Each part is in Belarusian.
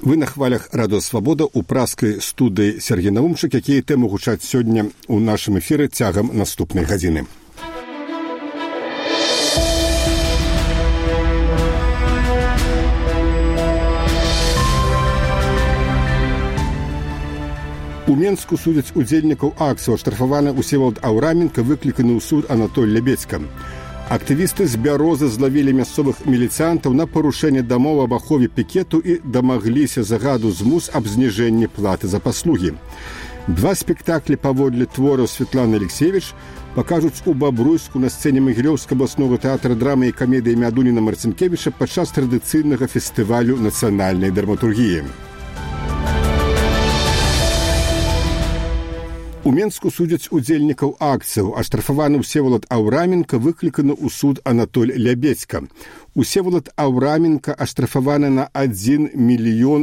Вы на хвалях Радио Свабода у праскай студыі Сергей Навумчык, якія тэмы гучаць сёння ў нашым эфіры цягам наступнай гадзіны. У Менску судзяць удзельнікаў акцыі. Аштрафаваны Усевалад Аўраменка, выкліканы ў суд Анатоль Лябедзька. Актывісты з Бярозы злавілі мясцовых міліцыянтаў на парушэнне дамоў аб ахове пікету і дамагліся загаду змус аб зніжэнні платы за паслугі. 2 спектаклі паводле твораў Светланы Алексеевич пакажуць у Бабруйску на сцэне Магілёўскага абласнога тэатра драмы і камедыі імя Дуніна Марцінкевіча падчас традыцыйнага фестывалю нацыянальнай драматургіі. У Менску судзяць удзельнікаў акцыяў. Аштрафаваны Усевалад Аўраменка, выкліканы ў суд Анатоль Лябедзька. Усевалад Аўраменка аштрафаваны на 1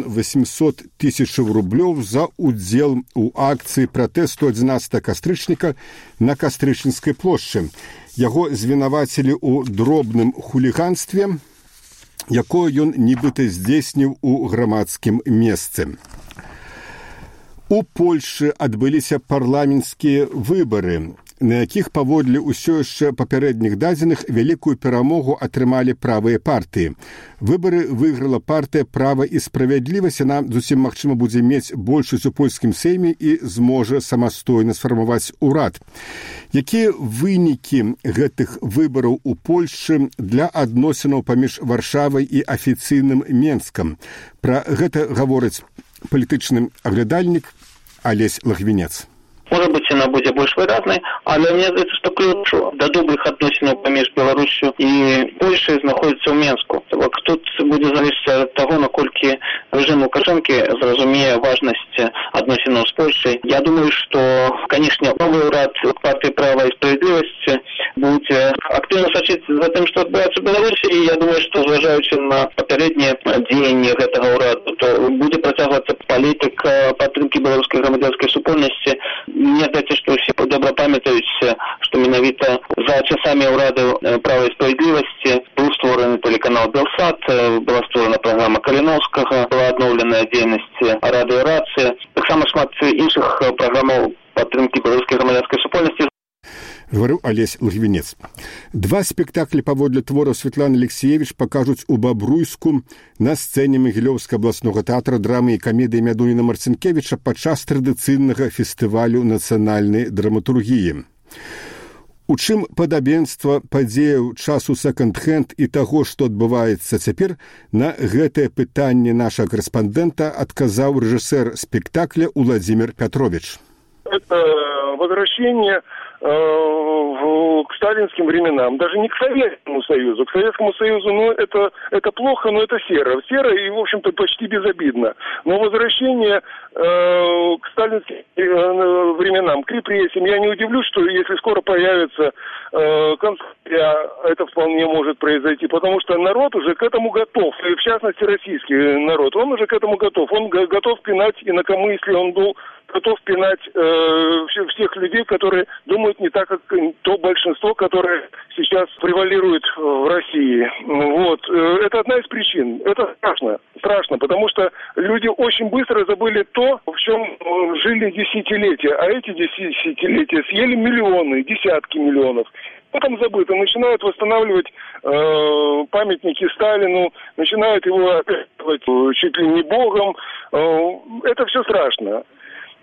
800 000 рублёў за удзел у акцыі пратэсту 11 кастрычніка на Кастрычніцкай плошчы. Яго звінавацілі ў дробным хуліганстве, якое ён нібыта здзейсніў у грамадскім месцы. У Польшы адбыліся парламенцкія выбары, на якіх паводле ўсё яшчэ папярэдніх дадзеных вялікую перамогу атрымалі правыя партыі. Выбары выйграла партыя «Права і справядлівасць». Яна зусім магчыма будзе мець большасць у польскім сейме і зможа самастойна сфармаваць урад. Якія вынікі гэтых выбараў у Польшы для адносінаў паміж Варшавай і афіцыйным Менскам? Пра гэта гаворыць палітычны аглядальнік Алесь Лагвінец. Может быть, она будет больше выразной, але мне кажется, что ключ до добрых отношений поміж Беларусью и Польшей находится в Менску. Тут будет зависеть от того, насколько режим Лукашенко зразумее важность отношений с Польшей. Я думаю, что, конечно, новый уряд партии «Права и справедливости» будет активно сочить за тем, что отбывается в Беларуси, и я думаю, что, зважаючи на попередние деяния этого уряду, то будет протягиваться политика подтримки белорусской громадянской супольности. Мне кажется, что все добро памятают, что менавіта за часами уряду «Права и справедливости» был створен телеканал «Белсат», была створена программа Калиновского, была обновлена деятельность радио «Рация». Так само шмат інших программ подтримки белорусской громадянской супольности. Говорю Алесь Лагвінец. 2 спектаклі паводле твораў Светланы Алексеевич пакажуць у Бабруйску на сцэне Магілёўскага абласнога тэатра драмы і камедыі імя Дуніна Марцінкевіча падчас традыцыйнага фестывалю нацыянальнай драматургіі. У чым падабенства падзеяў часу секонд-хенд і таго, што адбываецца цяпер, на гэтае пытанне нашага корэспандэнта адказаў рэжысэр спектакля Уладзімір Пятрович. Это возвращение к сталинским временам, даже не к Советскому Союзу. К Советскому Союзу, это плохо, но это серо. Серо и, в общем-то, почти безобидно. Но возвращение к сталинским временам, к репрессиям, я не удивлюсь, что если скоро появится концлагеря, это вполне может произойти, потому что народ уже к этому готов, и в частности российский народ, он уже к этому готов. Он готов пинать инакомыслие, он был готов пинать всех людей, которые думают не так, как то большинство, которое сейчас превалирует в России. Вот. Это одна из причин. Это страшно, потому что люди очень быстро забыли то, в чем жили десятилетия. А эти десятилетия съели миллионы, десятки миллионов. Потом забыто. Начинают восстанавливать памятники Сталину, начинают его описывать чуть ли не богом. Это все страшно.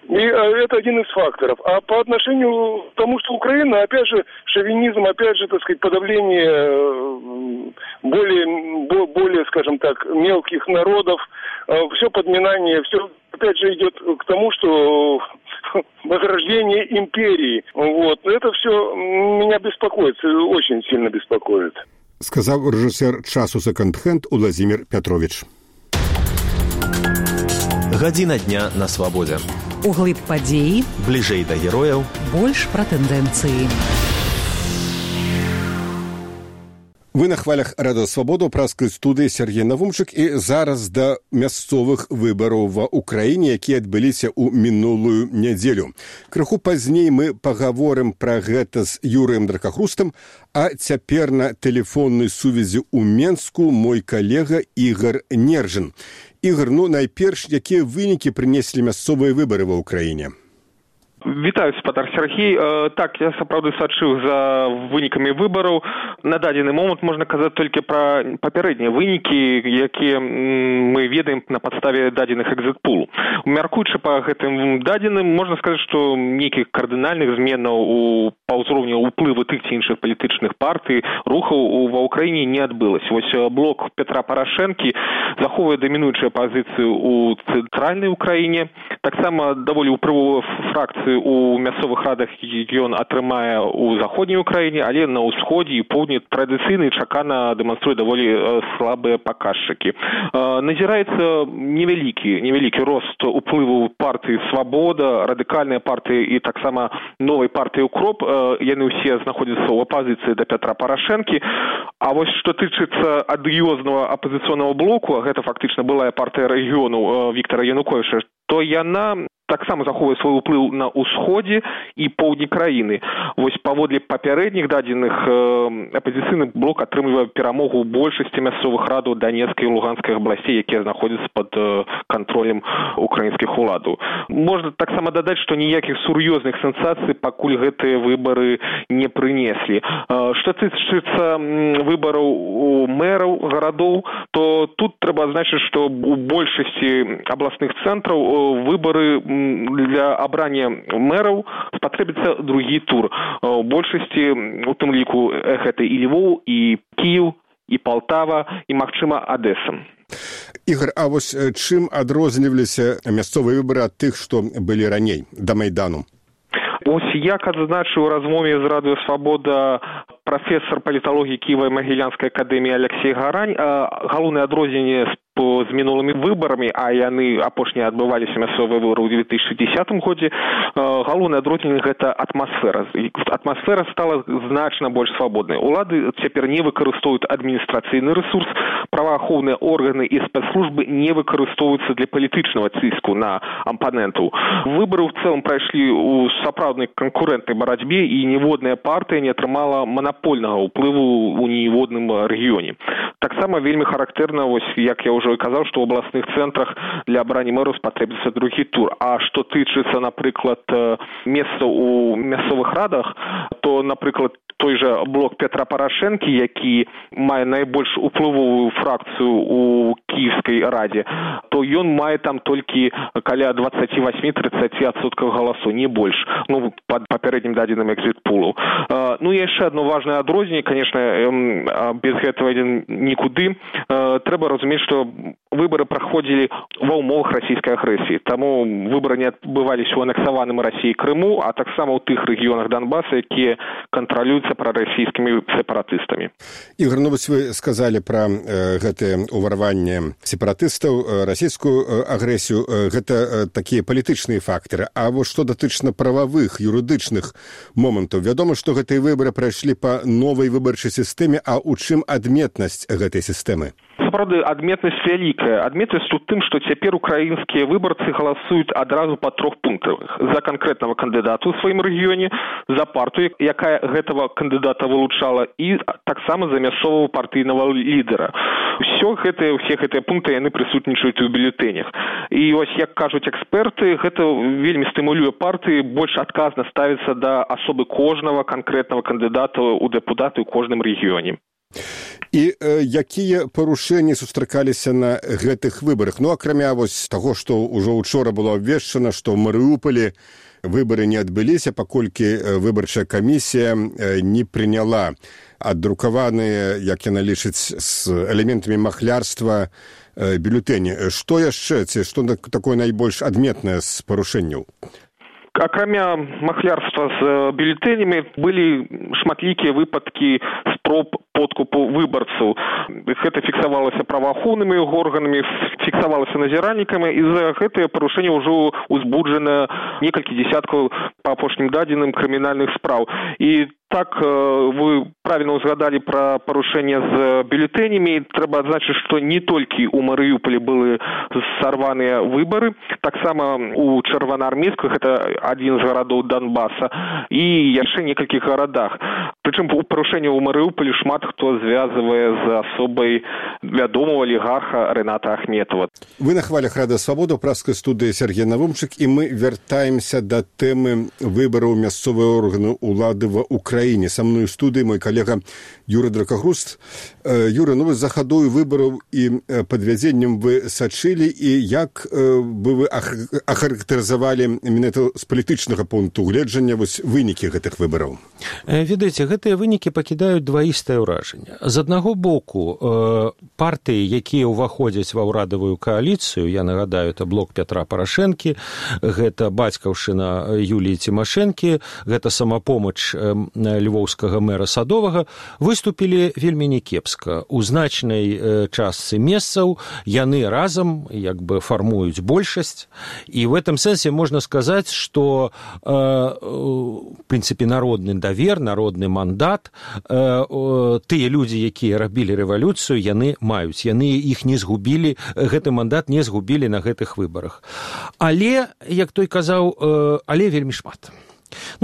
И это один из факторов. А по отношению к тому, что Украина, опять же, шовинизм, опять же, так сказать, подавление более, скажем так, мелких народов, все подминание, все, опять же, идет к тому, что возрождение империи. Вот. Это все меня беспокоит, очень сильно беспокоит. Сказал режиссер часу секонд-хенд Уладзімір Пятрович. Гадзіна дня на свабодзе. Углыб падзеі, бліжэй да герояў, больш пра тэндэнцыі. Вы на хвалях Радио Свабода, праскай студыі Сергей Навумчык, і зараз да мясцовых выбараў ва Украіне, якія адбыліся ў мінулую нядзелю. Крыху пазней мы пагаворым пра гэта з Юрыем Дракахрустам, а цяпер на тэлефоннай сувязі ў Менску мой калега Ігар Нержин. Ігор, найперш, якія вынікі прынеслі мясцовыя выбары ва ўкраіне? Вітаю, спадар Сергей. Так, я сапраўды сачыў за вынікамі выбараў. На дадзены момант можна казаць толькі пра папярэднія вынікі, якія мы ведаем на падставе дадзеных экзит-пул. Мяркуючы па гэтым дадзеным, можна сказаць, што нейкіх кардынальных зменаў па ўзроўню ўплыву тых ці іншых палітычных партый, рухаў ва ўкраіне не адбылася. Вось блок Петра Парашэнкі захоўвае дамінуючую пазіцыю ў цэнтральнай Украіне. Таксама даволі ўплывовая фракцыя у мясцовых радах ён атрымае ў заходняй Украіне, але на ўсходзе і поўдні традыцыйна і чакана дэманструе даволі слабыя паказчыкі. Назіраецца невялікі рост уплыву партыі «Свабода», радыкальная партыя і таксама новай партыі «Укроп». Яны ўсе знаходзяцца ў апазіцыі да Петра Парашэнкі. А вось што тычыцца адыёзнага апазіцыйнага блоку, а гэта фактычна былая партыя рэгіёну Віктара Януковіча, то яна таксама захоўвае свой уплыў на ўсходзе і поўдні краіны. Вось паводле папярэдніх дадзеных апазіцыйны блок атрымлівае перамогу ў большасці мясцовых радаў Данецкай і Луганскай абласцей, якія знаходзяцца пад кантролем украінскіх уладаў. Можна таксама дадаць, што ніякіх сур'ёзных сенсацый пакуль гэтыя выбары не прынеслі. Што тычыцца выбараў у мэраў гарадоў, то тут трэба адзначыць, што у большасці абласных цэнтраў выбары для абрання мэраў спатрэбіцца другі тур. У большасці, у тым ліку, гэта і Львоў, і Кіеў, і Палтава, і, магчыма, Адэса. Ігор, а вось чым адрозніваліся мясцовыя выбары ад тых, што былі раней, да Майдану? Ось як адзначыў у размове з Радыё Свабода прафесар паліталогіі Кіева-Магілянскай акадэміі Алексей Гарань, галоўнае адрозненне з мінулымі выбарамі, а яны апошнія адбываліся мясцовыя выбары ў 2010 годзе, галоўнае адрозненне гэта атмасфера. Атмасфера стала значна больш свабоднай. Улады цяпер не выкарыстоўваюць адміністрацыйны рэсурс, праваахоўныя органы і спецслужбы не выкарыстоўваюцца для палітычнага ціску на апанентаў. Выбары ў цэлым прайшлі ў сапраўднай канкурэнтнай барацьбе, і ніводная партыя не атрымала манапольнага ўплыву ў ніводным рэгіёне. Таксама вельмі характэрна, вось як я ўжо казаў, што ў абласных цэнтрах для абрання мэраў спатрэбіцца другі тур. А што тычыцца, напрыклад, месцаў у мясцовых радах, то, напрыклад, той жа блок Петра Парашэнкі, які мае найбольш уплывовую фракцыю у Кіевскай радзе, то ён мае там толькі каля 28-30% галасоў, не больш, пад папярэднім дадзеным экзит-пулу. І яшчэ адно важнае адрозненне, конечно, без гэтага нікуды. Трэба разумець, што выбары праходзілі ва ўмовах расійскай агрэсіі. Таму выбары не адбываліся ў анексаваным Расіяй Крыму, а таксама ў тых рэгіёнах Донбаса, якія кантралююцца прарасійскімі сепаратыстамі. Ігор, вось вы сказалі пра гэтае ўварванне сепаратыстаў, расійскую агрэсію. Гэта такія палітычныя фактары. А вось што датычна прававых, юрыдычных момантаў. Вядома, што гэтыя выбары прайшлі па новай выбарчай сістэме, а ў чым адметнасць гэтай сістэмы? Сапраўды, адметнасць вялікая. Адметнасць у тым, што цяпер украінскія выбарцы галасуюць адразу па 3 пунктах. За канкрэтнага кандыдата ў сваім рэгіёне, за партыю, якая гэтага кандыдата вылучала, і таксама за мясцовага партыйнага лідара. Усе гэтыя пункты яны прысутнічаюць у бюлетэнях. І ось, як кажуць эксперты, гэта вельмі стымулюе партыі больш адказна ставіцца да асобы кожнага канкрэтнага кандыдата ў дэпутаты ў кожным рэгіёне. І якія парушэнні сустракаліся на гэтых выбарах? Акрамя вось таго, што ўжо учора было абвешчана, што ў Марыуполі выбары не адбыліся, паколькі выбарчая камісія не прыняла аддрукаваныя, як яна лічыць, з элементамі махлярства бюлетэні. Што яшчэ, ці што такое найбольш адметнае з парушэнняў? Акрамя махлярства з бюлетэнямі былі шматлікія выпадкі спроб подкупу выбарцаў. Гэта фіксавалася праваахоўнымі органамі, фіксавалася назіральнікамі, і за гэтае парушэнне ўжо узбуджана некалькі дзесяткаў па апошнім дадзеным крымінальных спраў. І так, вы правильно узгадали про парушэнне з бюлетэнямі. Трэба адзначыць, што не толькі ў Марыуполі былі сарваныя выбары, таксама у Чырвонаармейску, гэта адзін з гарадоў Донбаса, і яшчэ некалькіх гарадах. Прычым у парушэння ў Марыуполі шмат хто звязвае з асобай вядомого алігарха Рыната Ахметова. Вы на хвалях Рада Свабода, пражскай студыі Сергей Навумчык, і мы вяртаемся да тэмы выбараў мясцовыя органы улады ва Украіне. Са мной у студыі мой калега Юры Дракагруст. Юра, ну вы за хадою выбараў і падвядзеннем вы сачылі, і як бы вы ахарактарызавалі менавіта з палітычнага пункту гледжання вось вынікі гэтых выбараў? Ведаеце, гэтыя вынікі пакідаюць дваістае ўражанне. З аднаго боку, партыі, якія ўваходзяць ва ўрадавую кааліцыю, я нагадаю, это блок Пятра Парашэнкі, гэта бацькаўшчына Юліі Цімашэнкі, гэта самапомач львоўскага мэра Садовага, выступілі вельмі някепска. У значнай частцы месцаў яны разам як бы фармуюць большасць, і в этом сэнсе можна сказаць, што в прынцыпе народны давер, народны мандат, тыя людзі, якія рабілі рэвалюцыю, яны маюць, яны іх не згубілі, гэты мандат не згубілі на гэтых выбарах. Але, як той казаў, але вельмі шмат.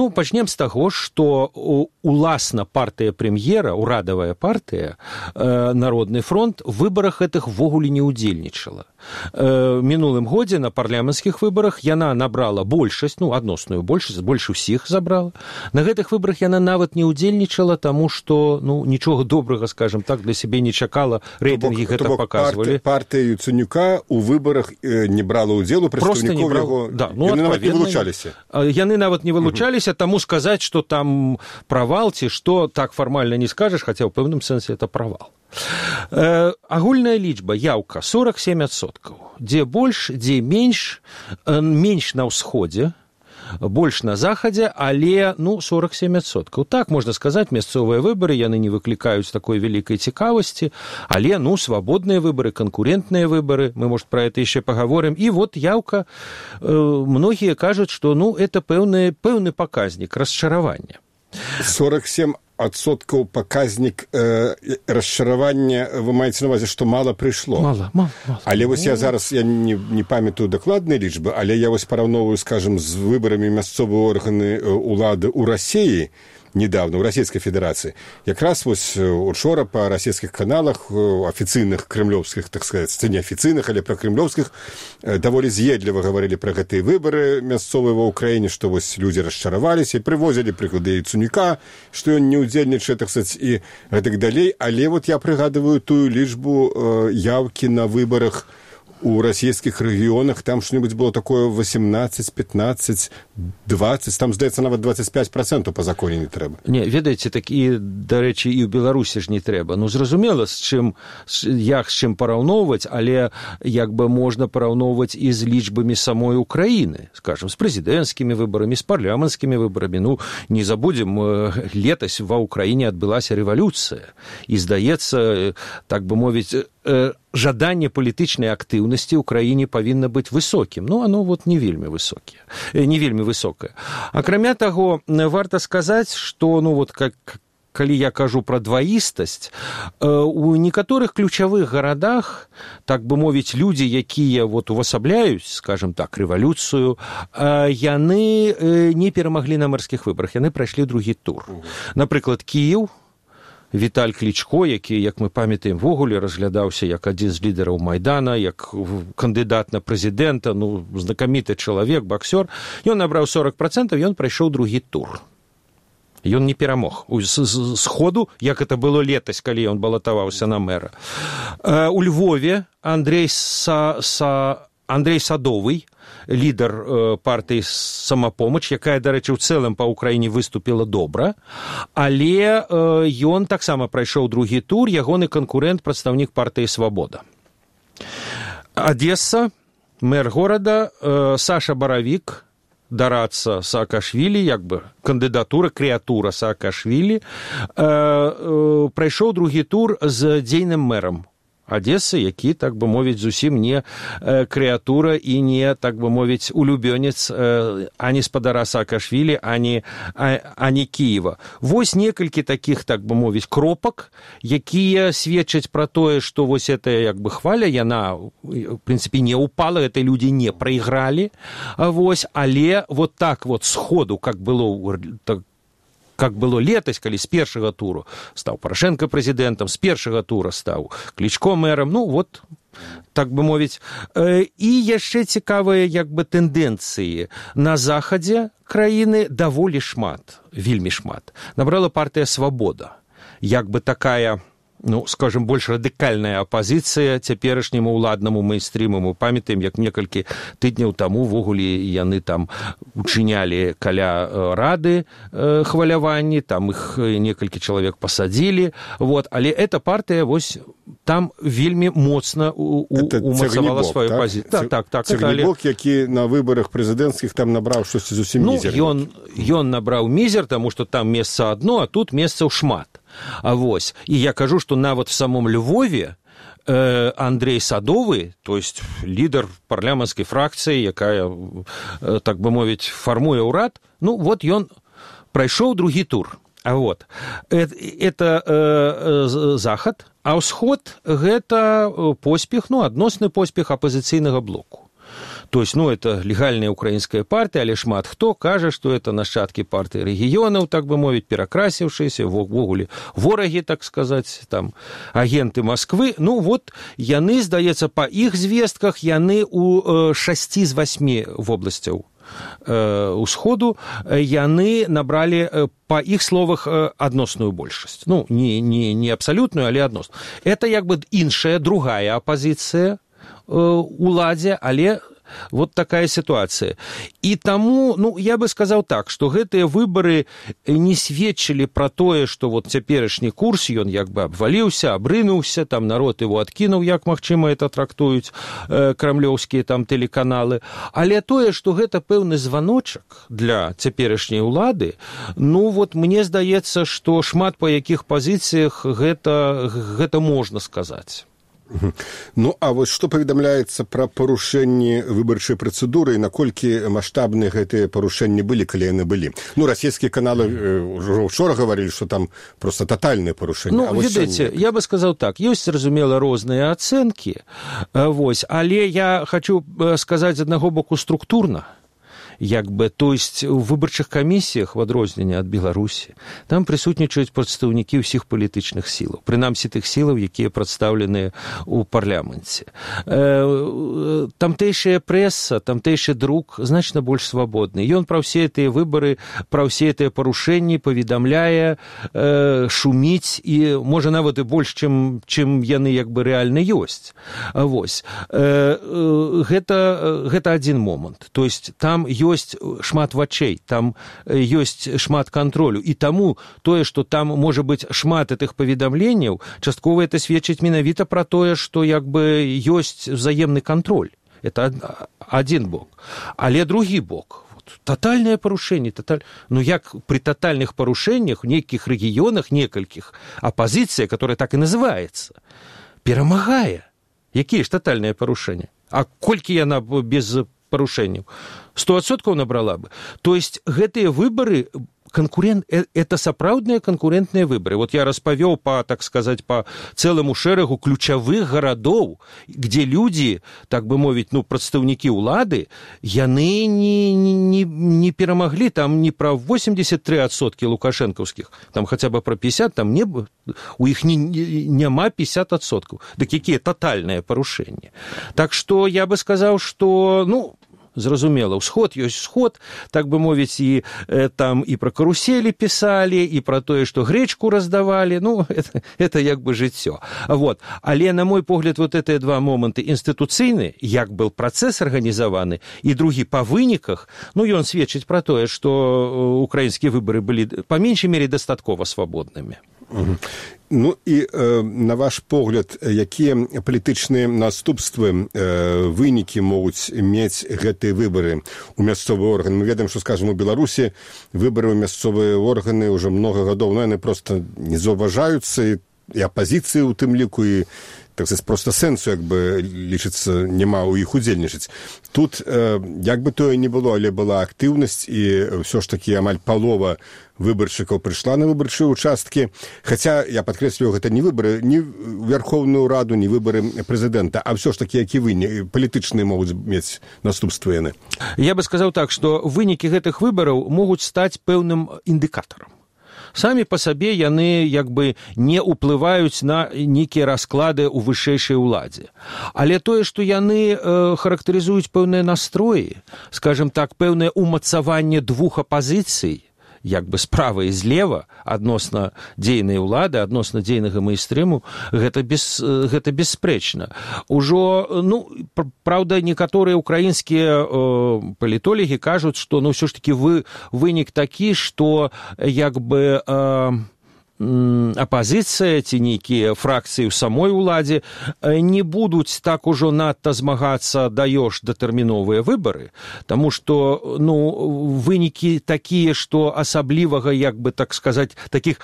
Ну, пачнем з таго, што уласна партыя прэм'ера, урадавая партыя, Народны фронт, у выбарах гэтых ввогуле не ўдзельнічала. Мінулым годзе на парламенцкіх выбарах яна набрала большасць, ну, адносную большасць, больш усіх забрала. На гэтых выбарах яна нават не ўдзельнічала, таму што, ну, нічога добрага, скажем так, для сябе не чакала, рэйтынгі гэта паказвалі. Партыя Яценюка ў выбарах не брала ўдзелу, прадстаўнікоў яго, да, ну, яны нават не вылучаліся. Яны нават не вылучаліся, таму сказаць, што там правал ці што, так фармальна не скажаш, хаця ў пэўным сэнсе это правал. Агульная лічба, яўка 47%. Дзе больш, дзе менш, менш на ўсходзе, больш на захадзе, але, ну, 47%. Так, можна сказаць, мясцовыя выбары, яны не выклікаюць такой вялікай цікавасці, але, ну, свабодныя выбары, канкурентныя выбары, мы, может, про это яшчэ паговорым. І вот яўка, многія кажуць, што, ну, это пэўны паказнік расчаравання. 47% паказнік расчаравання, вы маеце на увазе, што мала прыйшло? Мала. Але вось я зараз, я не памятаю дакладныя лічбы, але я вось параўноўваю, скажем, з выбарамі мясцовыя органы улады ў Расіі, недавно, у Российской Федерации. Якраз вось учора по российских каналах, афіцыйных кремлёвских, так сказать, неафіцыйных, але про кремлёвских, даволі з'едліва говорили про гэтыя выборы мясцовыя ва Украине, что вось люди расчараваліся, привозили прыклады Яценюка, что ён не удзельнічае, так сказать, и гэтак далей. Але вот я прыгадываю тую лічбу явки на выборах у российских регионах, там что-нибудь было такое 18, 15, 20, там, здаецца, нават 25% по законе не трэба. Не, ведаеце, так і, дарэчы, і ў Беларусі ж не трэба. Ну, зразумела, з чым параўноўваць, але як бы можна параўноўваць і з лічбамі самой Украіны, скажем, з прэзідэнцкімі выбарамі, з парламенцкімі выбарамі. Ну, не забудзем, летась ва Украіне адбылася рэвалюцыя. І, здаецца, так бы мовіць, жаданне палітычнай актыўнасці ў краіне павінна быць высокім. Ну, оно вот не вельмі высокае. Акрамя таго, варта сказаць, што, ну, вот, калі я кажу пра дваістасць, у некаторых ключавых гарадах, так бы мовіць, людзі, якія вот увасабляюць, скажем так, рэвалюцыю, яны не перамаглі на мэрскіх выбарах, яны прайшлі другі тур. Напрыклад, Кіеў, Віталь Клічко, які, як мы памятаем, ввогуле разглядаўся як адзін з лідараў Майдана, як кандыдат на прэзідэнта, ну, знакаміты чалавек, баксёр. Ён набраў 40%, ён прайшоў другі тур. Ён не перамог. З ходу, як это было летась, калі ён балатаваўся на мэра. У Львове Андрей Садовый, лідар партыі «Самапомач», якая, дарэчы, ў цэлым па Ўкраіне выступіла добра, але ён таксама прайшоў другі тур, ягоны канкурэнт, прадстаўнік партыі «Свабода». Адесса, мэр горада, Саша Баравік, дарацца Саакашвілі, як бы кандыдатура, крэатура Саакашвілі, прайшоў другі тур з дзейным мэрам Адессы, які, так бы мовіць, зусім не крэатура і не, так бы мовіць, улюбёнец ані спадара Саакашвілі, ані Кіева. Вось некалькі такіх, так бы мовіць, кропак, якія сведчаць пра тое, што вось эта, як бы, хваля, яна, в прынцыпе, не упала, гэта людзі не прайгралі, вось, але вот так вот сходу, как было как было летась, калі з першага туру стаў Парашенко прэзідэнтам, з першага тура стаў Клічко мэрам, ну вот, так бы мовіць. І яшчэ цікавыя як бы тэндэнцыі. На захадзе краіны даволі шмат, вельмі шмат. Набрала партыя «Свабода». Як бы такая, ну, скажем, больш радыкальная апазіцыя цяперашняму ўладнаму мейнстріму. Мы памятаем, як некалькі тыдняў таму ввогуле яны там учынялі каля рады хваляванні, там іх некалькі чалавек пасадзілі. Вот. Але эта партыя вось там вельмі моцна умацавала сваю пазіцыю. Так. Цягнібок, які на выбарах прэзідэнцкіх там набраў штосьці зусім мізер. Ён набраў мізер, таму што там месца адно, а тут месцаў шмат. А вось, і я кажу, што нават в самом Львове Андрей Садовы, то есть лідар парламенцкай фракцыі, якая, так бы мовіць, фармуе ўрад, ну вот ён прайшоў другі тур. А вот, это захад, а ўсход гэта поспех, ну, адносны поспех апазіцыйнага блоку. То есть, ну, это легальная украинская партия, але шмат хто кажа, што это нашчадкі партыі рэгіёнаў, так бы мовіць, перакрасіўшыся, ввогуле ворагі, так сказаць, там, агенты Москвы. Ну, вот, яны, здаецца, па іх звестках, яны у 6 з 8 вобласцяў усходу, яны набралі, па іх словах, адносную большасць. Ну, не абсалютную, але адносную. Это, як бы, іншая, другая апазіцыя уладзе, але вот такая ситуация. И тому, ну, я бы сказал так, что гэтыя выборы не сведчили про тое, что вот цяперашні курс, ён як бы обвалился, обрынуўся, там народ его откинул, як магчыма это трактуюць крамлёўскія там телеканалы, але тое, что гэта пэўны званочак для цяперашняй улады, ну, вот мне здаецца, что шмат па якіх пазіцыях гэта можна сказаць. Ну, а вось што паведамляецца пра парушэнні выбарчай працэдуры і наколькі маштабныя гэтыя парушэнні былі, калі яны былі? Ну, расійскія каналы ўжо учора гаварылі, што там проста татальныя парушэнні. Ну, ведаеце, я бы сказаў так, ёсць, зразумела, розныя ацэнкі, вось, але я хочу сказаць з аднаго боку структурна. Як бы, то есть у выбарчых камісіях, в адрозненне ад Беларусі, там прысутнічаюць прадстаўнікі ўсіх палітычных сілаў, прынамсі тых сілаў, якія прадстаўленыя ў парламенце. Тамтэйшая прэса, тамтэйшы друк значна больш свабодны. Ён пра ўсе гэтыя выбары, пра ўсе гэтыя парушэнні паведамляе, шуміць і, можа, нават і больш, чым яны як бы рэальна ёсць. Вось. Гэта адзін момант. То есть там ёсць шмат вачэй, там ёсць шмат кантролю. І таму тое, што там можа быць шмат гэтых паведамленняў, часткова это сведчыць менавіта пра тое, што як бы ёсць взаемны кантроль. Это адзін бок. Але другі бок. Тотальное парушэнне. Ну, як при тотальных парушэннях в нейкіх рэгіёнах, некалькіх, апазіцыя, которая так і называецца, перамагае. Якія ж тотальныя парушэнні? А колькі яна без парушэнняў? 100% набрала бы. То есть гэтыя выборы, это сапраўдныя канкурентныя выборы. Вот я распавёў так сказать, по цэлому шэрагу ключавых гарадоў, где люди, так бы мовіць, ну, прадстаўнікі ўлады, яны не перамаглі, там не про 83% лукашэнкаўскіх, там хотя бы про 50, там у іх няма 50%. Дык якія тотальныя парушэнні. Так что я бы сказаў, что, ну, зразумела, ўсход ёсць сход, так бы мовіць, і там і пра каруселі пісалі, і пра тое, што грэчку раздавалі, ну, это як бы жыццё. Вот. Але, на мой погляд, вот гэтыя два моманты інстытуцыйны, як был працэс арганізаваны, і другі па выніках, ну, ён сведчыць пра тое, што украінскія выбары былі, па меншай мере, дастаткова свабоднымі. Ну і на ваш погляд, якія палітычныя наступствы, вынікі могуць мець гэтыя выбары ў мясцовыя органы? Мы ведаем, што, скажем, у Беларусі выбары ў мясцовыя органы ўжо многа гадоў, но яны проста не заўважаюцца, і апазіцыі ў тым ліку, і так сказать, просто сэнсу, як бы, лічыцца, няма ў іх удзельнічаць. Тут, як бы тое не было, але была актыўнасць, і ўсё ж такі амаль палова выбаршчыкаў прыйшла на выбарчыя участкі. Хаця, я падкрэсліваю, гэта не выбары, не Верховную Раду, не выбары прэзідэнта, а ўсё ж такі, які палітычныя могуць мець наступствы яны. Я бы сказаў так, што вынікі гэтых выбараў могуць стаць пэўным індыкатарам. Самі па сабе яны як бы не ўплываюць на нейкія расклады ў вышэйшай уладзе. Але тое, што яны характарызуюць пэўныя настроі, скажем так, пэўнае умацаванне двух апазіцый, як бы справа і злева адносна дзейнай улады, адносна дзейнага мейнстрыму, гэта бесспрэчна. Ужо, праўда, некаторыя украінскія палітолагі кажуць, што ўсё ж такі вынік такі, што як бы апазіцыя ці нейкія фракцыі ў самой уладзе не будуць так ужо надта змагацца даёш датэрміновыя выбары, таму што вынікі такія, што асаблівага, як бы так сказаць, такіх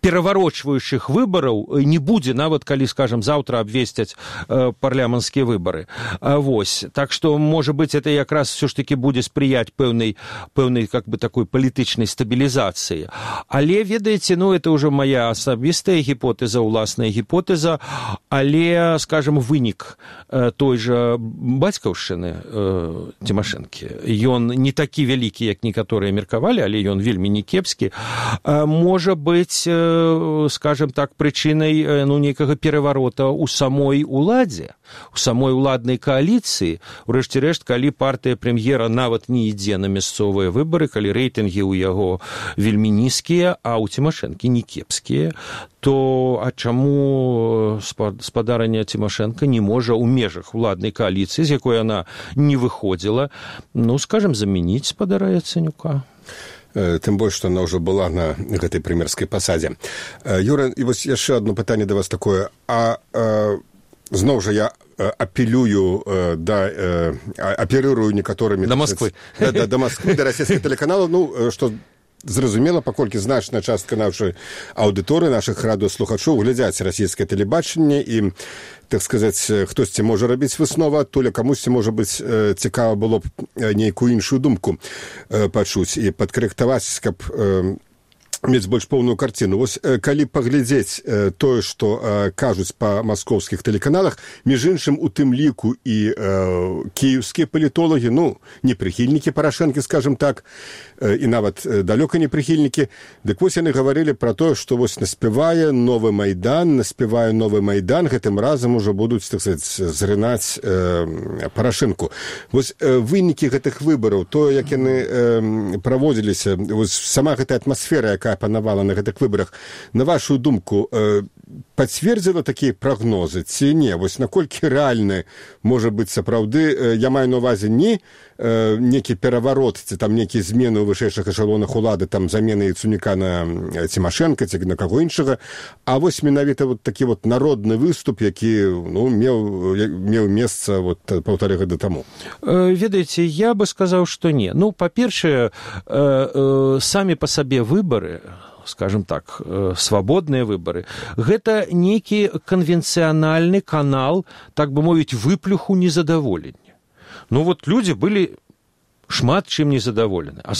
пераварочваючых выбараў не будзе, нават калі, скажем, заўтра абвесцяць парламенцкія выбары. Вось. Так што, можа быць, это якраз все ж таки будзе спрыяць пэўнай как бы такой палітычнай стабілізацыі. Але, ведаеце, это ўжо моя асабістая гіпотэза, уласная гіпотэза, але, скажем, вынік той жа бацькаўшчыны Цімашэнкі, ён не такі вялікі, як некаторыя меркавалі, але ён вельмі не кепскі, можа быць, скажем так, прычынай нейкага пераварота ў самой уладзе, у самой уладнай кааліцыі. Урэшце рэшт, калі партыя прэм'ера нават не ідзе на мясцовыя выбары, калі рэйтынгі ў яго вельмі нізкія, а ў Цімашэнкі не кепскія, то чаму спадарня Цімашэнка не можа ў межах уладнай кааліцыі, з якой яна не выходзіла, скажем, замяніць спадара Яцэнюка? Тым больш, што яна ўжо была на гэтай прэм'ерскай пасадзе. Юра, і вось яшчэ одно пытанне да вас такое. Зноў жа я апелюрую некаторымі... Да Москвы. Да Москвы, да расійскіх тэлеканалаў, што зразумела, паколькі значная частка нашай аўдыторыі, нашых радыёслухачоў глядзяць расійскае тэлебачанне і, так сказаць, хтосьці можа рабіць выснову адтуль, а камусьці, можа быць, цікава было б нейкую іншую думку пачуць і падкарэктаваць, каб мець больш поўную карціну. Вось калі паглядзець тое, што кажуць па маскоўскіх тэлеканалах, між іншым у тым ліку і кіеўскія палітолагі, не прыхільнікі Парашэнкі, скажем так, і нават далёка не прыхільнікі, дык вось яны гаварылі пра тое, што вось наспявае новы Майдан, гэтым разам ужо будуць, так сказаць, зрынаць Парашэнку. Вось вынікі гэтых выбараў, тое, як яны праводзіліся, вось сама гэтая атмасфера, якая панавала на гэтых выбарах, на вашу думку, пацвердзіла такія прагнозы ці не? Вось наколькі рэальны можа быць сапраўды, я маю на ўвазе не некі пераварот ці там нейкія змены ў вышэйшых эшалонах улады, там замены Яцэнюка на Цімашэнка ці на каго іншага, а вось менавіта вот такі вот народны выступ, які меў месца паўтары гады таму. Ведаеце, я бы сказаў, што не. Па-першае, самі па сабе выбары, скажем так, свабодныя выбары, гэта нейкі канвенцыянальны канал, так бы мовіць, выплюху незадаволення. Людзі былі шмат чым незадаволены. А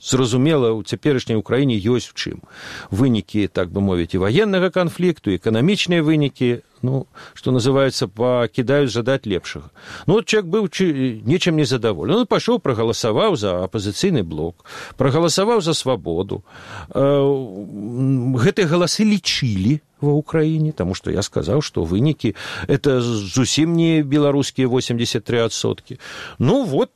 зразумела, у цяперашняй Украіне ёсць у чым. Вынікі, так бы мовіць, і ваеннага канфлікту, эканамічныя вынікі, што называецца, пакідаюць жадаць лепшага. Чалавек быў нечым незадаволены. Пайшоў, прагаласаваў за апазіцыйны блок, прагаласаваў за свабоду. Гэтыя галасы лічылі ва ўкраіне, таму што я сказаў, што вынікі это зусім не беларускія 83%.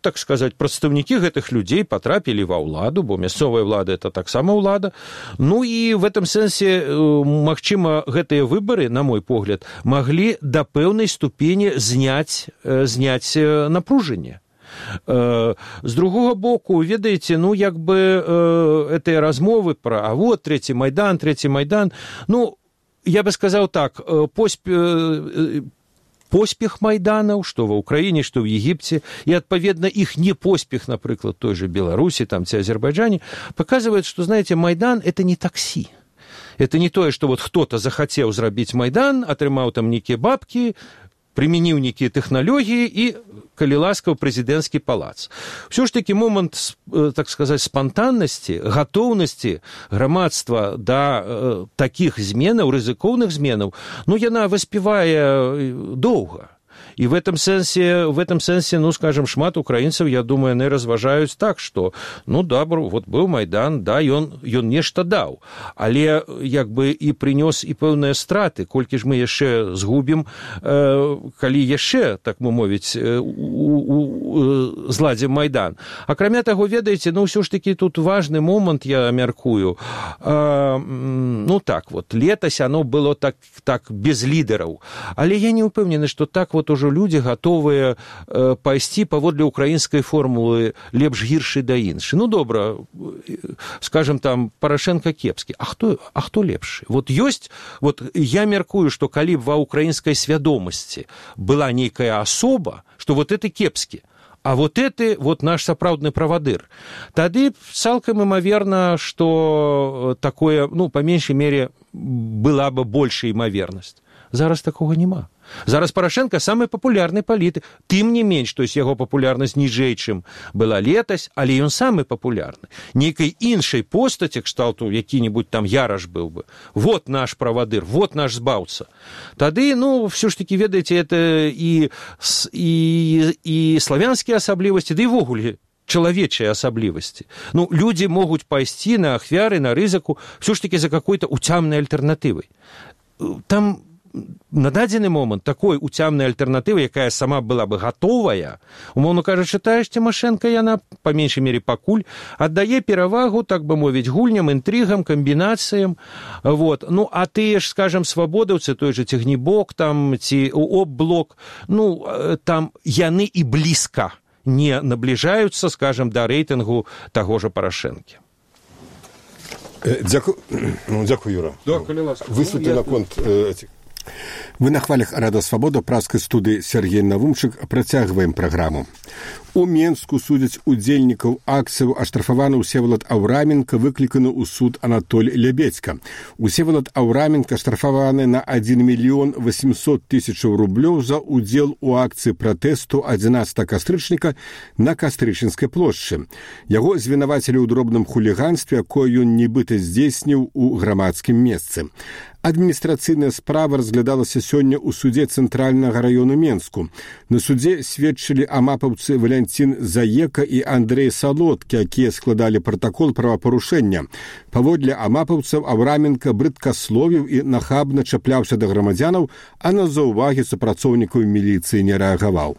Так сказаць, прадстаўнікі гэтых людзей патрапілі ва ўладу, бо мясцовая ўлада это таксама ўлада. І в этом сэнсе, магчыма, гэтыя выбары, на мой погляд, маглі да пэўнай ступені зняць напружанне. З другога боку, ведаеце, гэтыя размовы пра трэці Майдан, я бы сказаў так, поспех майданаў, што ва Ўкраіне, што ў Егіпце, і, адпаведна, іх непоспех, напрыклад, той же Беларусі ці Азербайджане, паказваюць, што, знаеце, Майдан – это не таксі. Это не тое, што хто-то захацеў зрабіць Майдан, атрымаў там нейкія бабкі, прымяніў нейкія тэхналогіі і, калі ласка, ў прэзідэнцкі палац. Усё ж такі момант, так сказаць, спантаннасці, гатоўнасці грамадства да такіх зменаў, рызыкоўных зменаў, яна выспявае доўга. І в этом сэнсе, ну, скажем, шмат украінцаў, я думаю, яны разважаюць так, што, ну, добра, вот быў Майдан, да, ён нешта даў, але, як бы, і прынёс і пэўныя страты, колькі ж мы яшчэ згубім, калі яшчэ, так мы мовіць, зладзім Майдан. Акрамя таго, ведаеце, ну, ўсё ж такі тут важны момант, я мяркую, ну, так, вот, летась оно было так без лідараў, але я не ўпэўнены, што так вот ужо людзі гатовыя пайсці паводле украінскай формулы лепш-гіршы да іншы. Ну, добра, скажем, там, Парашенко кепскі. А хто лепшы? Вот ёсць, вот я мяркую, што калі б ва украінскай свядомасці была нейкая асоба, што вот это кепскі, а вот это вот наш сапраўдны правадыр. Тады цалкам імаверна, што такое, ну, па меншай мере, была бы большая імавернасць. Зараз такога няма. Зараз Парашенко самы папулярны палітык. Тым не менш, то есть яго папулярнасць ніжэй, чым была летась, але ён самы папулярны. Нейкай іншай постаці, кшталту які-небудзь там Яраш быў бы. Вот наш правадыр, вот наш збаўца. Тады, ну, все ж таки, ведаеце, это і славянскія асаблівасці, да і ввогуле чалавечыя асаблівасці. Ну, людзі могуць пайсці на ахвяры, на рызыку, все ж таки за какой-то уцямнай альтэрнатывай. Там на дадзены момант такой уцямнай альтэрнатывы, якая сама была бы гатовая, умоўно кажучы, тая ж Цімашэнка, яна, па меншай мере пакуль, аддае перавагу, так бы мовіць, гульням, інтрыгам, камбінацыям. Вот. Ну, а тыя ж, скажем, свабодаўцы, той же Цягнібок, там, ці ОП-блок, ну, там яны і блізка не набліжаюцца, скажем, да рэйтынгу таго ж Парашэнкі. Дзякую, Юра. Высветлі наконт этих. Вы на хвалях Радио Свобода, праскай студыі Сергей Навумчык. Працягваем праграму. У Менску судзяць удзельнікаў акцыяў, аштрафаваны Всеволод Авраменко, выкліканы ў суд Анатоль Лябедзька. Всеволод Авраменко аштрафаваны на 1 мільён 800 тысячаў рублёў за удзел у акцыі пратэсту 11 кастрычніка на Кастрычынскай плошчы. Яго звінавацілі ў дробным хуліганстве, якое ён нібыта здзейсніў у грамадскім месцы. Адміністрацыйная справа разглядалася сёння ў судзе Цэнтральнага раёну Менску. На судзе сведчылі амапаўцы Валянцін Заека і Андрэй Салодкі, якія складалі пратакол правапарушэння. Паводле амапаўцаў Авраменко брыдкасловіў і нахабна чапляўся да грамадзянаў, а на заўвагі супрацоўнікаў міліцыі не рэагаваў.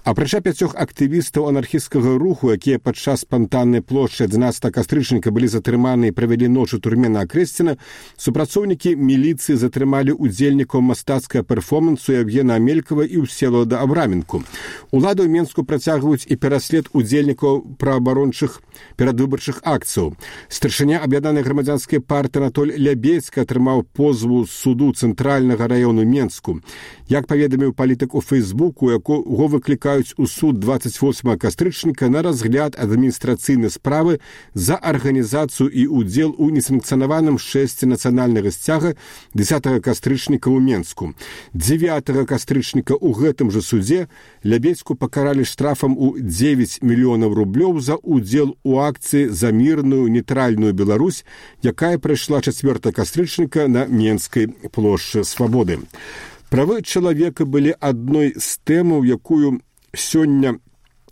Апрача 5 актывістаў анархісцкага руху, якія падчас спантаннай плошчы 11 кастрычніка былі затрыманы і правялі ноч у турме на Акрэсціна, супрацоўнікі міліцыі затрымалі удзельнікаў мастацкага перформансу Евгена Амелькова і Всеволода Авраменко. Улады ў Менску працягваюць і пераслед удзельнікаў праабарончых перадвыбарчых акцыяў. Старшыня аб'яднанай грамадзянскай партыі Анатоль Лябедзька атрымаў позву з суду Цэнтральнага раёну Менску. Як паведаміў палітык у Фейсбуку, якого выклікаюць у суд 28 кастрычніка на разгляд адміністрацыйнай справы за арганізацыю і удзел у несанкцыянаваным шэсце нацыянальнага сцяга 10 кастрычніка ў Менску. 9 кастрычніка ў гэтым жа суде Лябедзьку пакаралі штрафам у 9 мільёнаў рублёў за удзел у акцыі за мірную нейтральную Беларусь, якая прайшла 4 кастрычніка на Менскай плошчы Свабоды. Правы чалавека былі адной з тэмаў, якую сёння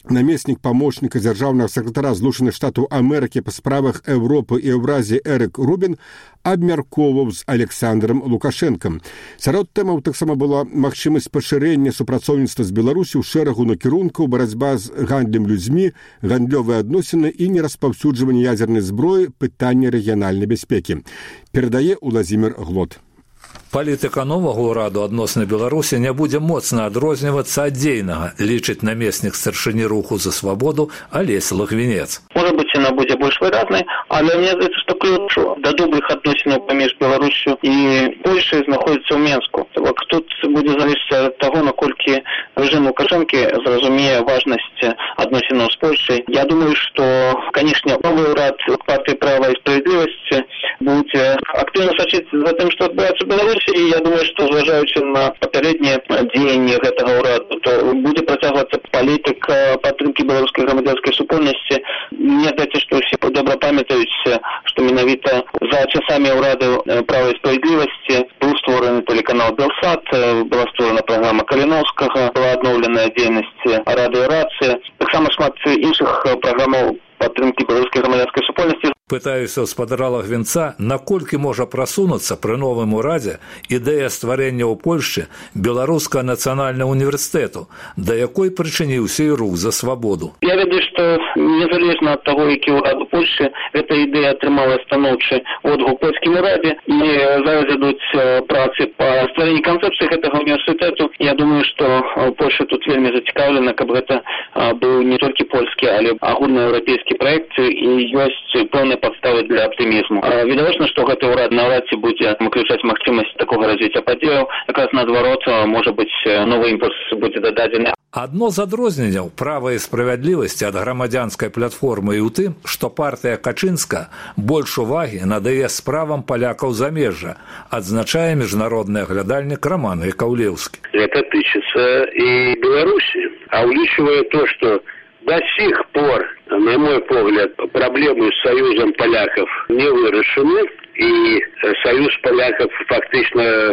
намеснік памочніка дзяржаўнага сакратара Злучаных Штатаў Амерыкі па справах Еўропы і Еўразіі Эрык Рубін абмяркоўваў з Александром Лукашэнкам. Сярод тэмаў таксама была магчымасць пашырэння супрацоўніцтва з Беларусі ў шэрагу накірункаў, барацьба з гандлем людзьмі, гандлёвыя адносіны і нераспаўсюджванне ядзернай зброі, пытанне рэгіянальнай бяспекі. Перадае Уладзімір Глот. Палітыка новага ўраду адносна Беларусі не будзе моцна адрознівацца ад дзейнага, лічыць намеснік старшыні руху за свабоду Алесь Лагвінец. Может быть, она будет больше выразной, але мне здаецца, што ключ до добрых адносінаў паміж Беларусью і Польшай знаходзіцца ў Менску. Тут будзе залежаць ад таго, наколькі рэжым Лукашэнкі зразумее важнасць адносінаў з Польшай. Я думаю, што, канешне, новы ўрад партыі права і справядлівасці будзе актыўна сачыць за тым, што адбываецца ў Беларусі. І я думаю, што зважаючы на папярэднія дзеянні гэтага ўраду, то будзе працягвацца палітыка падтрымкі беларускай грамадзянскай супольнасці. Мне здаецца, што ўсе добра памятаюць, што менавіта за часамі ўраду права і справядлівасці быў створаны створаны телеканал «Белсат», была створана праграма Каліновскага, была адноўленая дзейнасць радыёрацыі, таксама шмат іншых праграмаў падтрымкі беларускай грамадзянскай супольнасці. Пытаюся ў спадара Лагвінца, наколькі можа прасунуцца пры новым урадзе ідэя стварэння ў Польшчы беларускага нацыянальнага універсітэту, да якой прычыніўся і рух за свабоду. Я ведаю, што незалежна ад таго, які ўрад у Польшчы, гэта ідэя атрымала станоўчы одгук у польскім урадзе, і зараз ідуць працы па стварэнні канцэпцыі гэтага універсітэту. Я думаю, што Польша тут вельмі зацікаўлена, каб гэта быў не толькі польскі, але агульнаеўрапейскі праект, і ёсць пэўныя падставы для аптымізму. Відавочна, што гэты ўрад наўрад ці будзе выключаць магчымасць такога развіцця падзеяў. Якраз наадварот, можа быць, новы імпульс будзе дададзены. Адно з адрозненняў «Права і справядлівасці» ад грамадзянскай платформы і ў тым, што партыя Качынска больш увагі надае справам палякаў замежжа, адзначае міжнародны аглядальнік Роман Яковлеўскі. Это тычыцца і Беларусі, а ўлічвае то, што до сих пор, на мой погляд, проблемы с союзом поляков не вырашены, и союз поляков фактично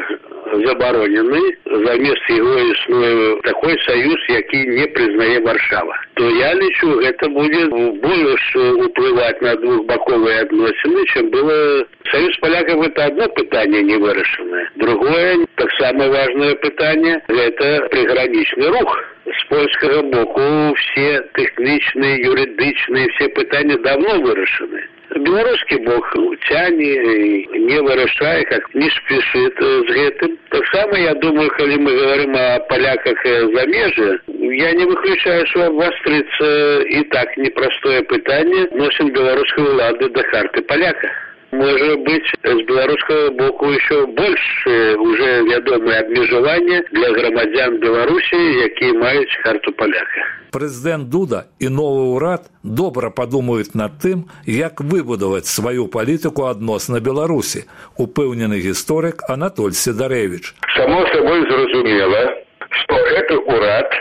заборонены, замест его існуе такой союз, який не признае Варшава. То я лічу, это будет больше уплывать на двухбоковые отношения, чем было. Союз поляков — это одно питание не вырашенное. Другое, так самое важное питание, это приграничный рух. С польского боку все техничные, юридичные, все питания давно вырашены. Белорусский бок тяне, не вырашае, как не спешит с гэтым. Так само, я думаю, когда мы говорим о поляках замежжа, я не выключаю, что обострится и так непростое питание носит белорусской влады до карты поляка. Может быть, с белорусского боку еще больше уже вядомые обмежевания для громадян Беларуси, якія маюць карту поляка. Прэзідэнт Дуда і новы ўрад добра падумаюць над тым, як выбудаваць сваю палітыку адносна Беларусі, упэўнены гісторык Анатоль Сідарэвіч. Само собой зразумела, што гэты ўрад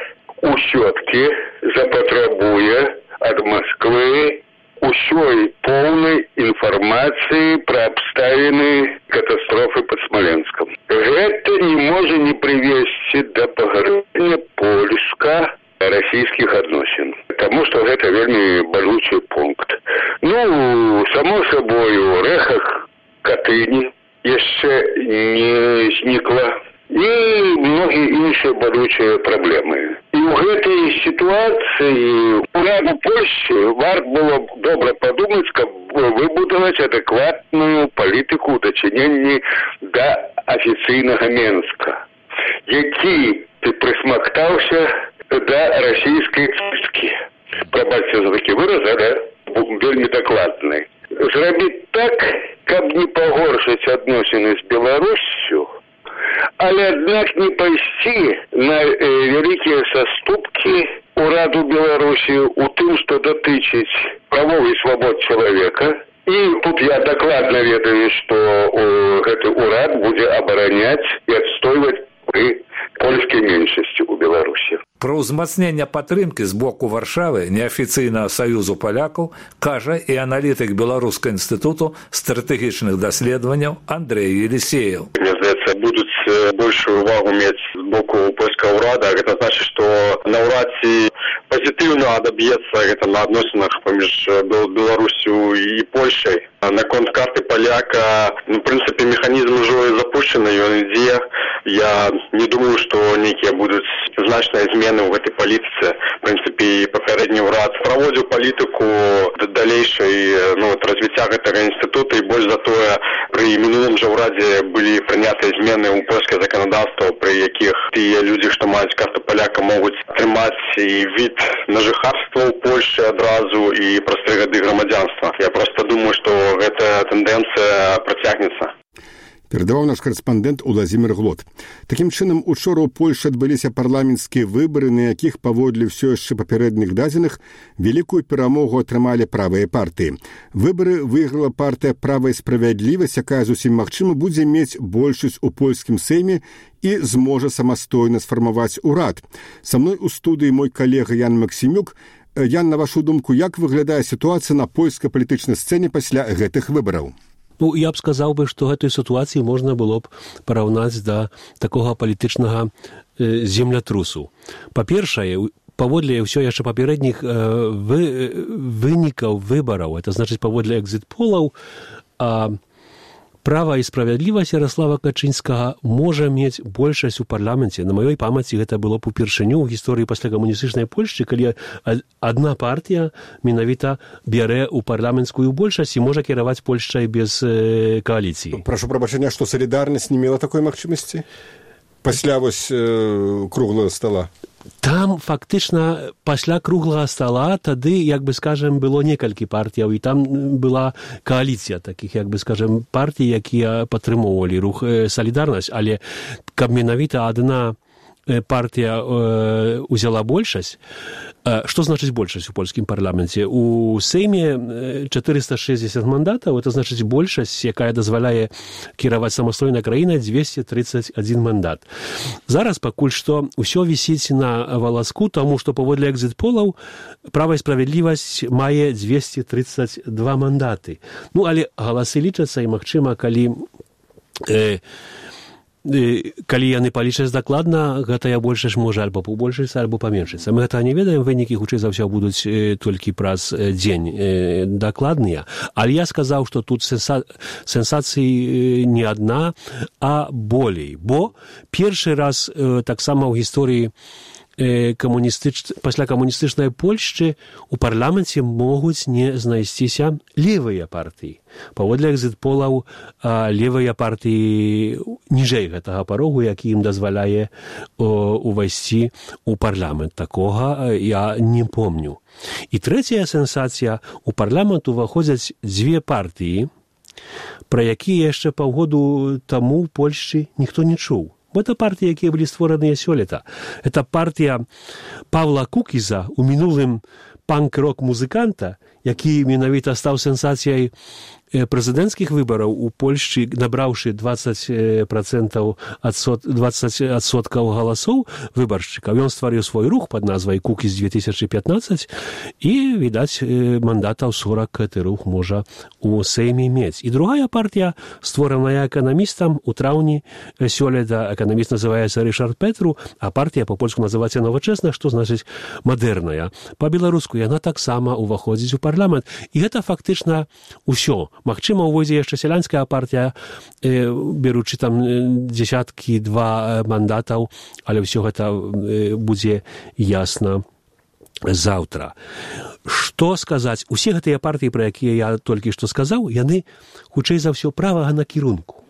усё-ткі запатрабуе ад Москвы усёй поўнай інфармацыі пра абставіны катастрофы пад Смоленском. Гэта не можа не прывесці да пагарэння польска-расійскіх адносін, таму што гэта вельмі балючы пункт. Ну, само собой, у рэхах Катыні яшчэ не знікла, і многія іншыя балючыя праблемы. І ў гэтай сітуацыі ураду Польшчы варта было добра падумаць, каб выбудаваць адэкватную палітыку ў дачыненні да афіцыйнага Менска, які прысмактаўся да расійскай чысткі. Прабачце за такі выраз, але вельмі дакладны. Зрабіць так, каб не пагоршыць адносіны з Беларуссю, але аднак не пайсці на вялікія саступкі ураду Беларусі ў тым, што датычыць правоў і свабод чалавека. І тут я дакладна ведаю, што гэты ўрад будзе абараняць і адстойваць пры польскай меншасці ў Беларусі. Пра ўзмацнення падтрымкі з боку Варшавы неафіцыйнага саюзу палякаў кажа і аналітык Беларускага інстытуту стратэгічных даследаванняў Андрэй Елисеев. Мне здаецца, будуць большую увагу мець з боку польскага ўрада. Гэта значыць, што наўрад ці пазітыўна адаб'ецца гэта на адносінах паміж Беларусю і Польшай. Наконт карты паляка, в прынцыпе, механізм ужо запущены, ён ідзе. Я не думаю, што нейкія будуць значныя змены ў гэтай палітыцы. В прынцыпе, папярэдні ўрад праводзіў палітыку далейшай развіцця гэтага інстытута, і больш за тое, пры мінулым жа ўрадзе былі прынятыя змены ў польскае заканадаўства, пры якіх тыя людзі, што маюць карту паляка, могуць атрымаць і від на жыхарства ў Польшчы адразу і праз 3 гады грамадзянства. Я проста думаю, што гэтая тэндэнцыя працягнецца. Перадаваў наш корэспандэнт Уладзімір Глот. Такім чынам, учора ў Польшы адбыліся парламенцкія выбары, на якіх паводле ўсё яшчэ папярэдніх дадзеных вялікую перамогу атрымалі правыя партыі. Выбары выйграла партыя «Права і справядлівасць», якая зусім магчыма будзе мець большасць у польскім сейме і зможа самастойна сфармаваць урад. Са мной у студыі мой калега Ян Максімюк. Ян, на вашу думку, як выглядае сітуацыя на польскай палітычнай сцэне пасля гэтых выбараў? Ну, я б сказаў бы, што гэтую сітуацыю можна было б параўнаць да такога палітычнага землятрусу. Па-першае, паводле ўсё яшчэ папярэдніх вынікаў выбараў, это значыць паводле экзіт-полаў, Права і справядлівасць Ярослава Качынскага можа мець большасць у парламенце. На маёй памяці гэта было б упершыню ў гісторыі пасля камуністычнай Польшчы, калі адна партія менавіта бярэ ў парламенцкую большасць і можа кіраваць Польшчай без кааліцыі. Прашу прабачэння, што салідарнасць не мела такой магчымасці? Пасля вось круглого стола? Там фактычна пасля круглага стола тады, як бы скажем, было некалькі партыяў, і там была кааліцыя такіх, як бы скажем, партый, якія падтрымоўвалі рух «Салідарнасць», але каб менавіта адна партыя узяла большасць. Што значыць большасць у польскім парламенце? У Сейме 460 мандатаў, это значыць большасць, якая дазваляе кіраваць самастойнай краінай 231 мандат. Зараз пакуль што ўсё вісіць на валаску, таму што паводле экзіт-полаў Права і справядлівасць мае 232 мандаты. Ну, але галасы лічацца, і магчыма, калі яны палічаць дакладна, гэтая большасць можа альбо пабольшыцца, альбо паменшыцца. Мы гэта не ведаем, вынікі хутчэй за ўсё будуць толькі праз дзень дакладныя. Але я сказаў, што тут сенсацыі не адна, а болей. Бо першы раз таксама ў гісторыі пасля камуністычнай Польшчы у парламенце могуць не знайсціся левыя партыі. Паводле экзіт-полаў левыя партыі ніжэй гэтага парогу, які ім дазваляе увайсці ў парламент. Такога я не помню. І трэцяя сенсацыя, у парламент уваходзяць дзве партыі, пра якія яшчэ паўгоду таму ў Польшчы ніхто не чуў. Это партии, якія былі створаныя сёлета. Это партия Павла Кукіза, у мінулым панк-рок-музыканта, які менавіта стаў сенсацыяй прэзідэнцкіх выбараў у Польшчы, набраўшы 20% галасоў выбаршчыкаў. Ён стварыў свой рух пад назвай «Кукіз 2015» і, відаць, мандатаў 40 гэты рух можа у Сейме мець. І другая партія, створаная эканамістам у траўні сёлета, эканаміст называецца Рышард Петру, а партія па-польску называецца «Новачэсна», што значыць «мадэрная». Па-беларуску яна таксама ўваходзіць у парламент. І гэта фактычна ўсё. Магчыма, увойдзе яшчэ сялянская партія, беручы там дзесяткі-два мандатаў, але ўсё гэта будзе ясна заўтра. Што сказаць? Усе гэтыя партыі, пра якія я толькі што сказаў, яны, хутчэй за ўсё, правага накірунку.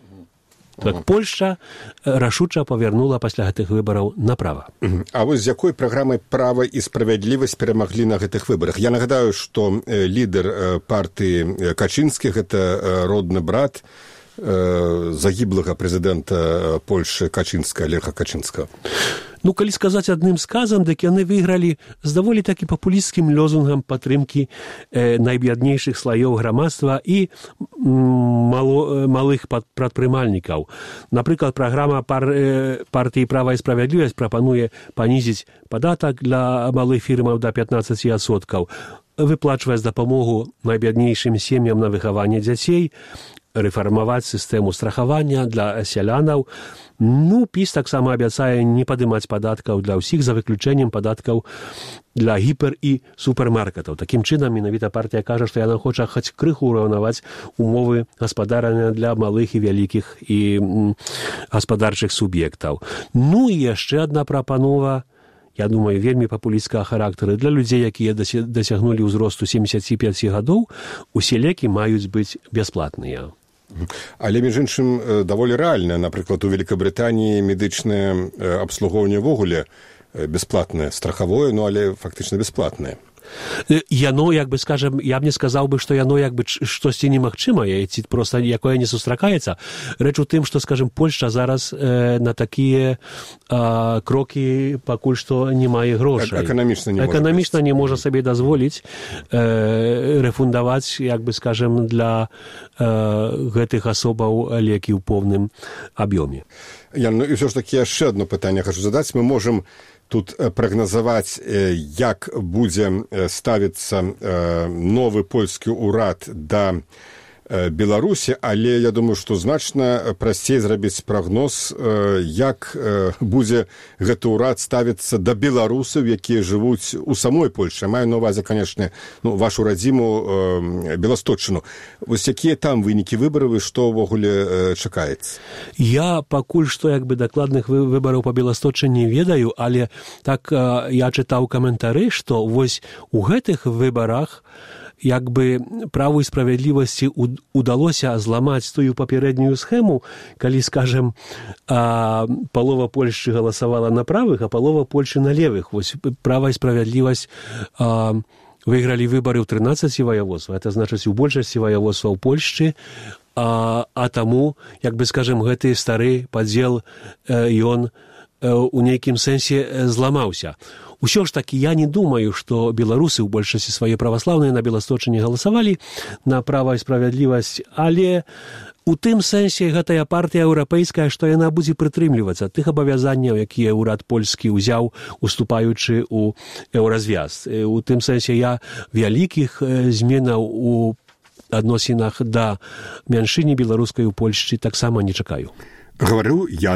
Так Польшча рашуча павярнула пасля гэтых выбараў направа. А вось з якой праграмай «Права і справядлівасць» перамаглі на гэтых выбарах? Я нагадаю, што лідар партыі Качынскіх – гэта родны брат загіблага прэзідэнта Польшчы Качынска, Леха Качынскага. Ну, калі сказаць адным сказам, дык яны выйгралі з даволі такі папулісцкім лозунгам падтрымкі найбяднейшых слаёў грамадства і малых прадпрымальнікаў. Напрыклад, праграма партыі «Права і справядлівасць» прапануе панізіць падатак для малых фірмаў да 15%, выплачваць дапамогу найбяднейшым сем'ям на выхаванне дзяцей, рэфармаваць сістэму страхавання для сялянаў. Ну, ПіС таксама абяцае не падымаць падаткаў для ўсіх, за выключэннем падаткаў для гіпер- і супермаркетаў. Такім чынам, менавіта партія кажа, што яна хоча хоць крыху ўраўнаваць умовы гаспадарання для малых і вялікіх і гаспадарчых суб'ектаў. Ну і яшчэ адна прапанова, я думаю, вельмі папулісцкага характару. Для людзей, якія дасягнулі ўзросту 75 гадоў, усе лекі маюць быць бясплатныя. Але, між іншым, даволі рэальна. Напрыклад, у Великабрытаніі медычнае абслугоўванне ввогуле бясплатнае, страхавое, ну, але фактычна бясплатнае. Яно, як бы, скажем, я б не сказаў бы, што яно, як бы, штосьці немагчымае, ці проста якое не сустракаецца. Рэч у тым, што, скажем, Польшча зараз на такія крокі пакуль што не мае грошай. Эканамічна не можа сабе дазволіць рэфундаваць, як бы, скажем, для гэтых асобаў лекі ў поўным аб'ёме. Ян, ну і ўсё ж такі яшчэ адно пытанне хачу задаць. Мы можам тут прагназаваць, як будзе ставіцца новы польскі ўрад да Беларусі, але я думаю, што значна прасцей зрабіць прагноз, як будзе гэты ўрад ставіцца да беларусаў, якія жывуць у самой Польшы. Маю на ўвазе, канешне, вашу радзіму Беласточчыну. Вось якія там вынікі выбараў і што ўвогуле чакаецца? Я пакуль што дакладных выбараў па Беласточчыне ведаю, але так я чытаў каментары, што вось у гэтых выбарах праву і справядлівасці удалося зламаць тую папярэднюю схему, калі, скажем, палова Польшчы галасавала на правых, а палова Польшчы на левых. Вось права і справядлівасць выйгралі выбары ў 13 ваяводствах. Это значыць, у большасці ваяводстваў Польшчы, а таму, скажем, гэты стары падзел, ён у нейкім сэнсе зламаўся. Усё ж такі я не думаю, што беларусы ў большасці свае праваслаўныя на Беласточчыне галасавалі на права і справядлівасць, але у тым сэнсе гэтая партыя еўрапейская, што яна будзе прытрымлівацца тых абавязанняў, якія ўрад польскі ўзяў, уступаючы ў еўразвяз. У тым сэнсе я вялікіх зменаў у адносінах да мяншыні беларускай у Польшчы таксама не чакаю. Гаварыў Ян